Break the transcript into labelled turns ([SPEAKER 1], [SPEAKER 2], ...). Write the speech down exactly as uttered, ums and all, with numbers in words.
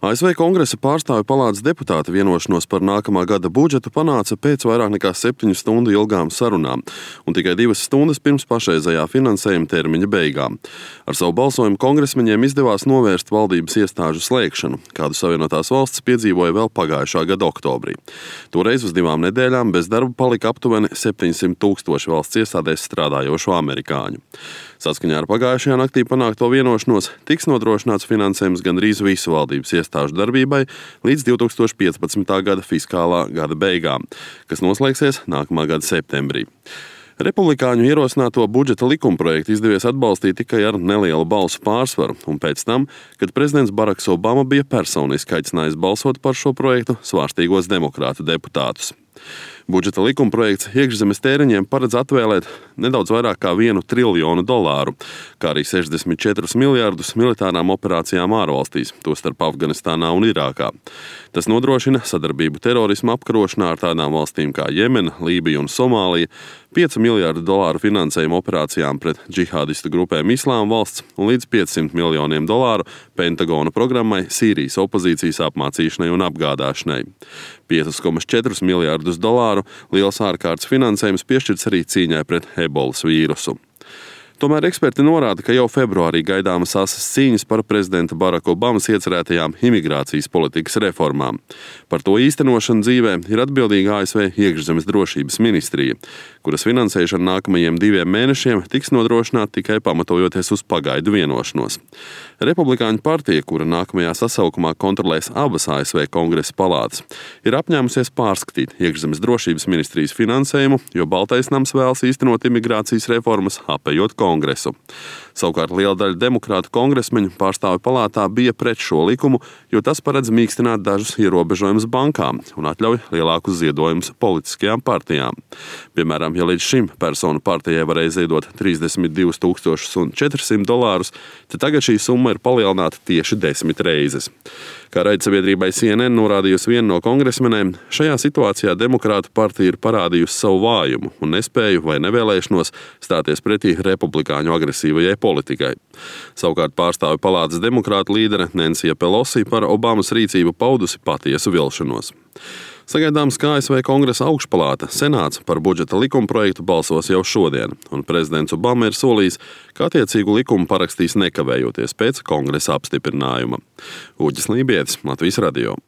[SPEAKER 1] A S V Kongresa pārstāvju palātas deputāti vienošanos par nākamā gada budžetu panāca pēc vairāk nekā septiņu stundu ilgām sarunām un tikai divas stundas pirms pašreizējā finansējuma termiņa beigām. Ar savu balsojumu kongresmeņiem izdevās novērst valdības iestāžu slēgšanu, kādu Savienotās valstis piedzīvoja vēl pagājušā gada oktobrī. Toreiz uz divām nedēļām bez darba palika aptuveni septiņsimt tūkstoši valsts iestādēs strādājošo amerikāņu. Saskaņā ar pagājušajā naktī panākto vienošanos tiks nodrošināts finansējums gandrīz visu valdības iestāžu darbībai līdz divi tūkstoši piecpadsmitā gada fiskālā gada beigām, kas noslēgsies nākamā gada septembrī. Republikāņu ierosināto budžeta likumprojektu izdevies atbalstīt tikai ar nelielu balsu pārsvaru, un pēc tam, kad prezidents Baraks Obama bija personiski aicinājis balsot par šo projektu svārstīgos demokrātu deputātus. Budžeta likumprojekts iekšzemes tēriņiem paredz atvēlēt nedaudz vairāk kā vienu triljonu dolāru, kā arī sešdesmit četrus miljardus militārām operācijām ārvalstīs, tostarp Afganistānā un Irākā. Tas nodrošina sadarbību terorisma apkarošanā ar tādām valstīm kā Jemena, Lībija un Somālija, piecu miljardu dolāru finansējumu operācijām pret džihādistu grupēm Islāma valsts un līdz piecsimt miljoniem dolāru Pentagona programmai Sīrijas opozīcijas apmācīšanai un apgādāšanai. piecus komats četrus miljardus dolāru liels ārkārtas finansējums piešķirts arī cīņai pret ebolas vīrusu. Tomēr eksperti norāda, ka jau februārī gaidāmas asas cīņas par prezidenta Baraka Obamas iecerētajām imigrācijas politikas reformām. Par to īstenošanu dzīvē ir atbildīga A S V iekšzemes drošības ministrija, kuras finansēšana nākamajiem diviem mēnešiem tiks nodrošināta tikai pamatojoties uz pagaidu vienošanos. Republikāņu partija, kura nākamajā sasaukumā kontrolēs abas A S V Kongresa palātas, ir apņēmusies pārskatīt iekšzemes drošības ministrijas finansējumu, jo Baltais nams vēlas īstenot imigrācijas reformas, apējot Kongresu. Savukārt liela daļa demokrātu kongresmeņu pārstāvju palātā bija pret šo likumu, jo tas paredz mīkstināt dažus ierobežojumus bankām un atļauj lielākus ziedojumus politiskajām partijām. Piemēram, ja līdz šim personu partijai varēja ziedot trīsdesmit divus tūkstošus četrsimt dolārus, tad tagad šī summa ir palielināta tieši desmit reizes. Kā raidsabiedrībai C N N norādījusi viena no kongresmenēm, šajā situācijā demokrātu partija ir parādījusi savu vājumu un nespēju vai nevēlēšanos stāties pretī republikāņu agresīvajai politikai. Savukārt pārstāvju palātas demokrātu līdere Nensija Pelosi par Obamas rīcību paudusi patiesu vilšanos. Sagaidāms, ka A S V Kongresa augšpalāta Senāts par budžeta likumprojektu balsos jau šodien, un prezidents Obama ir solījis, ka attiecīgu likumu parakstīs nekavējoties pēc Kongresa apstiprinājuma. Uģis Lībietis, Latvijas radio.